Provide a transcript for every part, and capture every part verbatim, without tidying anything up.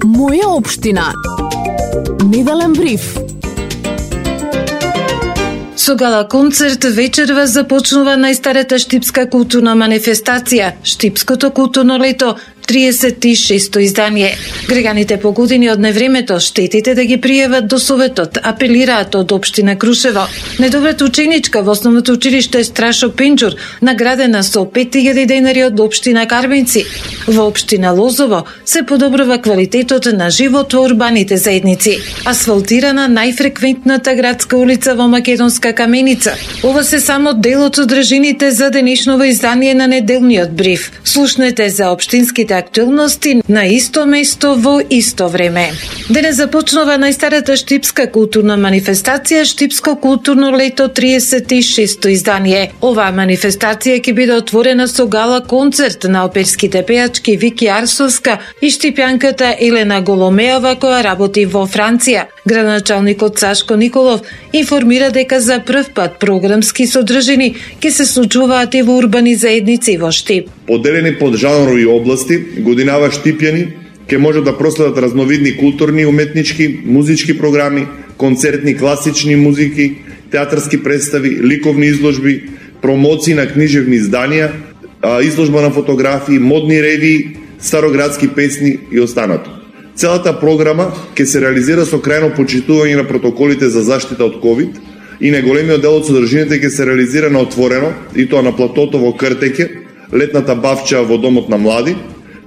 Моја општина. Неделен бриф. Со гала концерт вечерва започнува најстарата штипска културна манифестација, Штипското културно лето, триесет и шесто издание. Граѓаните по години од невремето штетите да ги пријават до Советот, апелираат од општина Крушево. Недобрата ученичка во основното училиште Страшо Пенџур, наградена со пет илјади денари од општина Карбинци. Во општина Лозово се подобрува квалитетот на живот во урбаните заедници. Асфалтирана најфреквентната градска улица во Македонска Каменица. Ова се само дел од содржините за денешново издание на неделниот бриф. Слушнете за општинските актуелности на исто место во исто време. Денес започнува најстарата штипска културна манифестација, Штипско културно лето, триесет и шесто издание. Оваа манифестација ќе биде отворена со гала концерт на оперските пејачки Вики Арсовска и штипјанката Елена Голомеова, која работи во Франција. Градоначалникот Сашко Николов информира дека за прв пат програмски содржини ќе се случуваат и во урбани заедници во Штип. Поделени под жанрови области, годинава штипјани ќе можат да проследат разновидни културни, уметнички, музички програми, концертни класични музики, театарски представи, ликовни изложби, промоции на книжевни изданија, изложба на фотографии, модни ревии, староградски песни и останато. Целата програма ќе се реализира со крајно почитување на протоколите за заштита од ковид и неголемиот дел од содржините ќе се реализира на отворено, и тоа на платото во Кртеќе, летната бавча во Домот на млади,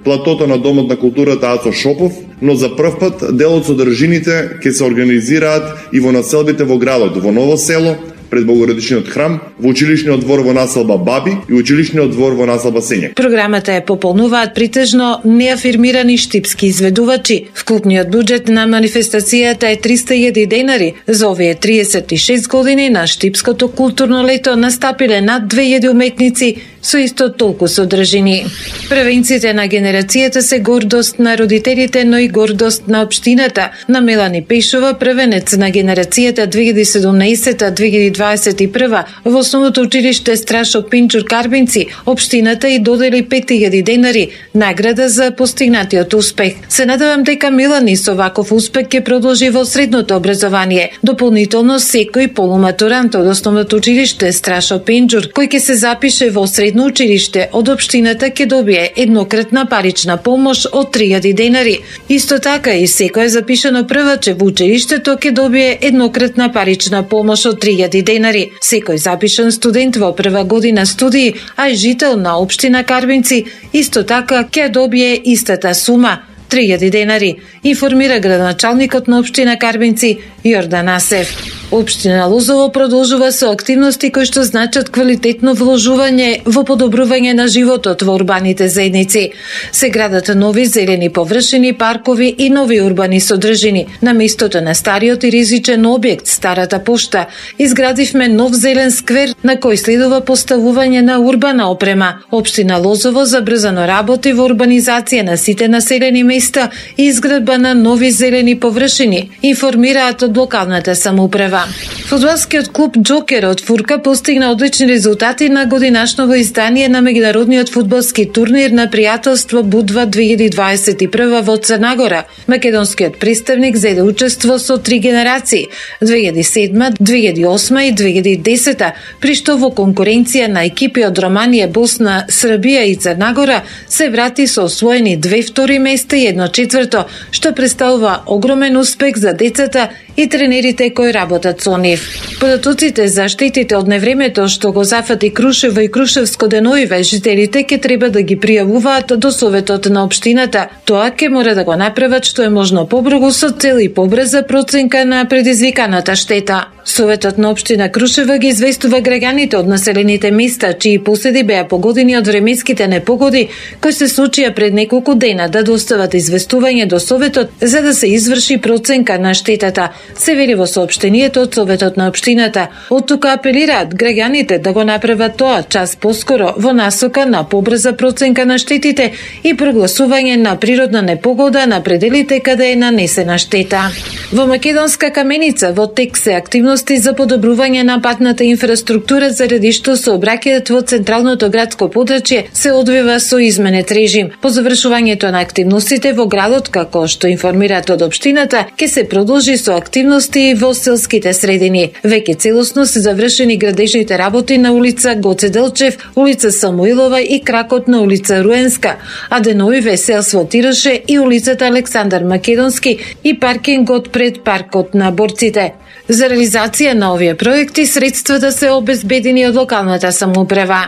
платото на Домот на културата Ацо Шопов, но за прв пат дел од содржините ќе се организираат и во населбите во градот, во Ново село, пред Богородичниот храм, во училишниот двор во населба Баби и училишниот двор во населба Сењак. Програмата ја пополнуваат притежно неафирмирани штипски изведувачи. Вкупниот буџет на манифестацијата е триста илјади денари. За овие триесет и шест години на Штипското културно лето настапиле над две илјади уметници со исто толку содржини. Првенците на генерацијата се гордост на родителите, но и гордост на општината. На Мелани Пешова, првенец на генерацијата две илјади и седумнаесета - две илјади дваесет и прва во основното училиште Страшо Пенџур Карбинци, општината и додели пет илјади денари, награда за постигнатиот успех. Се надевам дека Мелани со ваков успех ќе продолжи во средното образование. Дополнително секој полуматурант од основното училиште Страшо Пенџур, кој ќе се запише во средно училиште од општината ќе добие еднократна парична помош од три илјади денари. Исто така и секој запишано прваче во училиштето ќе добие еднократна парична помош од три илјади денари. Секој запишан студент во прва година студии, а и жител на општина Карбинци, исто така ќе добие истата сума, три илјади денари, информира градоначалникот на општина Карбинци Јордан Асев. Општина Лозово продолжува со активности кои што значат квалитетно вложување во подобрување на животот во урбаните заедници. Се градат нови зелени површини, паркови и нови урбани содржини. На местото на стариот и ризичен објект, старата пошта, изградивме нов зелен сквер на кој следува поставување на урбана опрема. Општина Лозово забрзано работи во урбанизација на сите населени места и изградба на нови зелени површини, информираат од локалната самоуправа. Фудбалскиот клуб Џокер од Фурка постигна одлични резултати на годинашново издание на меѓународниот фудбалски турнир на пријателство Будва две илјади дваесет и прва во Црна Гора. Македонскиот представник зеде учество со три генерации – две илјади и седма, две илјади и осма и две илјади и десета, при што во конкуренција на екипи од Романија, Босна, Србија и Црна Гора се врати со освоени две втори места и едно четврто, што представува огромен успех за децата и тренерите кои работат со нив. Податоците за штетите од невремето што го зафати Крушево и Крушевско деновиве, жителите ќе треба да ги пријавуваат до Советот на општината. Тоа ќе мора да го направат што е можно побрзо со цел и побрза проценка на предизвиканата штета. Советот на општина Крушево ги известува граѓаните од населените места чии поседи беа погодени од временските непогоди кои се случија пред неколку дена да достават известување до Советот за да се изврши проценка на штетата. Се вели во соопштението од Советот на општината. Од тука апелираат граѓаните да го направат тоа час поскоро во насока на побрза проценка на штетите и прогласување на природна непогода на пределите каде е нанесена штета. Во Македонска Каменица во тек се активно активности за подобрување на патната инфраструктура заради што сообраќајот во централното градско подрачје се одвива со изменет режим. По завршувањето на активностите во градот, како што информираат од општината, ќе се продолжи со активности во селските средини. Веќе целосно се завршени градежните работи на улица Гоце Делчев, улица Самуилова и кракот на улица Руенска, а деновиве се асфалтираше и улицата Александар Македонски и паркингот пред паркот на борците. За реализација на овие проекти средствата се обезбедени од локалната самоуправа.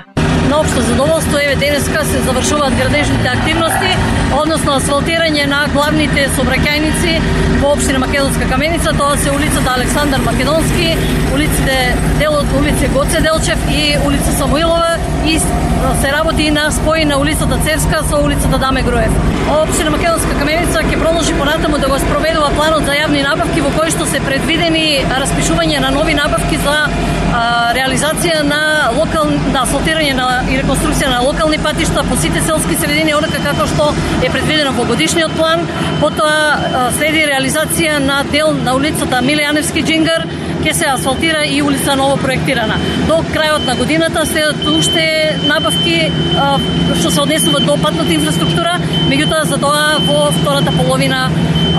На општо задоволство, еве денеска се завршуваат градежните активности, односно асфалтирање на главните сообраќајници во општина Македонска Каменица, тоа се улицата Александар Македонски, улиците дел од улица Гоце Делчев и улица Самуилова, и се работи на спој на улицата Цевска со улицата Даме Груев. Општина Македонска Каменица ќе продолжи понатаму да го спроведува планот за јавни набавки во кој што се предвидени распишување на нови набавки за а, реализација на локал на асфалтирање на и реконструкција на локални патишта по сите селски средини, онака како што е предвидено во годишниот план. Потоа следи реализација на дел на улицата Миле Јаневски Джингар, ќе се асфалтира и улица ново проектирана. До крајот на годината следат уште набавки а, што се однесуваат до патната инфраструктура, меѓутоа за тоа во втората половина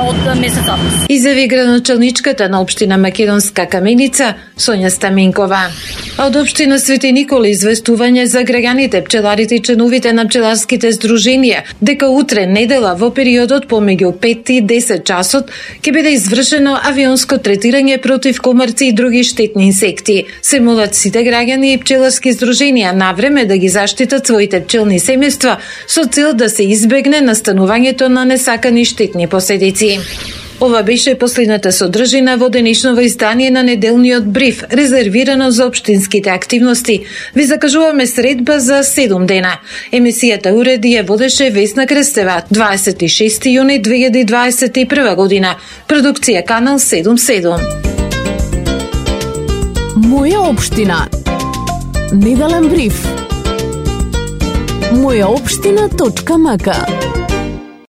од месец август. Изјави градоначалничката на општина Македонска Каменица Сонја Стаменкова. А од општина Свети Никола известување за граѓаните, пчеларите и членовите на пчеларските здруженија дека утре недела во периодот помеѓу пет и десет часот ќе биде извршено авионско третирање против комарци и други штетни инсекти. Се молат сите граѓани и пчеларски здруженија навреме да ги заштитат своите пчелни семејства со цел да се избегне настанувањето на несакани штетни последици. Ова беше последната содржина во денешново издание на неделниот бриф, резервирано за општинските активности. Ви закажуваме средба за седум дена. Емисијата уреди ја водеше Весна Крстева, дваесет и шести јуни две илјади дваесет и прва година. Продукција Канал седум седум. Моја општина. Неделен бриф. моја општина точка м к